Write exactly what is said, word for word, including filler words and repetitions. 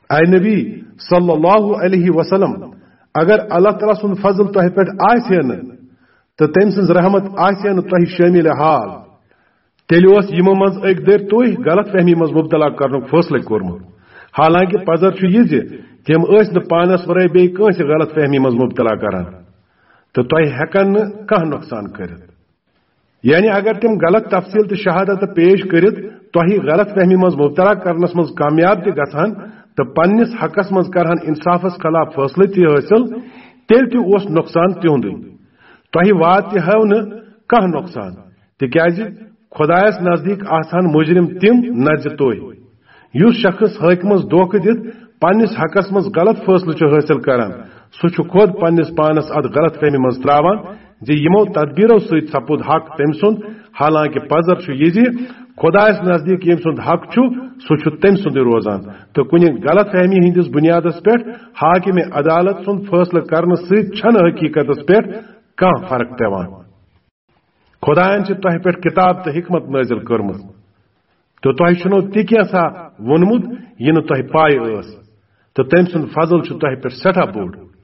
A نبی صلی اللہ علیہ وسلم، اگر اللہ تعالیٰ سُنٛد فضل تۄہہِ پٮ۪ٹھ آسہِ ہے نہٕ تہٕ تٔمۍ سٕنٛز رحمت آسہِ ہے نہٕ تۄہہِ شٲمِل حال، تیٚلہِ اوس یِمو منٛز أکۍ دٔرۍ تُہۍ غلط فہمی منٛز مبتلا کرنُک فٲصلہٕ کوٚرمُت۔ حالانکہ پزر چھُ یہِ زِ تِم ٲسۍ نہٕ پانس ورٲے بیٚیہِ کٲنٛسہِ غلط فہمی منٛز مبتلا کران، تہٕ تۄہہِ ہٮ۪کن نہٕ کانٛہہ نۄقصان کٔرِتھ۔ یعنی اگر تِم غلط تفصیل تہٕ شہادت پیش کٔرِتھ تۄہہِ غلط فہمی منٛز مبتلا کرنس منٛز کامیاب تہِ گژھان تہٕ پننِس حقس منٛز کرہن انصافس خلاف فٲصلہٕ تہِ حٲصِل، تیٚلہِ تہِ اوس نۄقصان تِہُنٛدُے۔ تۄہہِ واتہِ ہو نہٕ کانٛہہ نۄقصان، تِکیازِ خۄدایس نزدیٖک آسہٕ ہن مجرم تِم، نہ زِ تُہۍ۔ یُس شخص حٲکمس دھوکہٕ دِتھ پننِس حقس منٛز غلط فٲصلہٕ چھُ حٲصِل کران، سُہ چھُ خۄد پننِس پانس اتھ غلط فہمی منٛز تراوان زِ یِمو تدبیرو سۭتۍ سپُد حق تٔمۍ سُنٛد، حالانکہ پزر چھُ یہِ زِ خۄدایس نزدیٖک ییٚمۍ سُنٛد حق چھُ، سُہ چھُ تٔمۍ سُنٛدُے روزان، تہٕ کُنہِ غلط فہمی ہٕنٛدِس بُنیادس پٮ۪ٹھ حاکم عدالت سُنٛد فٲصلہٕ کرنہٕ سۭتۍ چھنہٕ حقیقتس پٮ۪ٹھ کانٛہہ فرق پٮ۪وان۔ خۄدایَن چھِ تۄہہِ پٮ۪ٹھ کِتاب تہٕ حکمت نٲزِل کٔرمٕژ، تہٕ تۄہہِ چھُنو تہِ کینٛژھا ووٚنمُت یہِ نہٕ تۄہہِ پَے ٲس، تہٕ تٔمۍ سُنٛد فضل چھُ تۄہہِ پٮ۪ٹھ سٮ۪ٹھاہ بوٚڑ۔